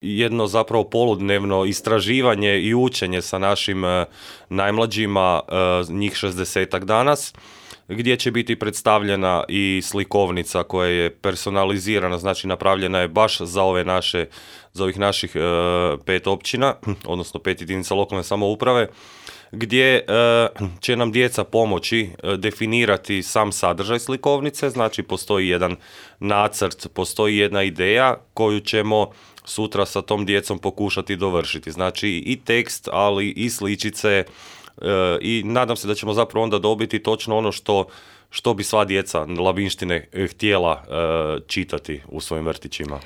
jedno zapravo poludnevno istraživanje i učenje sa našim najmlađima, njih 60-ak danas, gdje će biti predstavljena i slikovnica koja je personalizirana, znači napravljena je baš za ovih naših 5 općina, odnosno 5 jedinica lokalne samouprave, gdje će nam djeca pomoći definirati sam sadržaj slikovnice, znači postoji jedan nacrt, postoji jedna ideja koju ćemo sutra sa tom djecom pokušati dovršiti. Znači i tekst, ali i sličice, i nadam se da ćemo zapravo onda dobiti točno ono što bi sva djeca Labinštine htjela čitati u svojim vrtićima.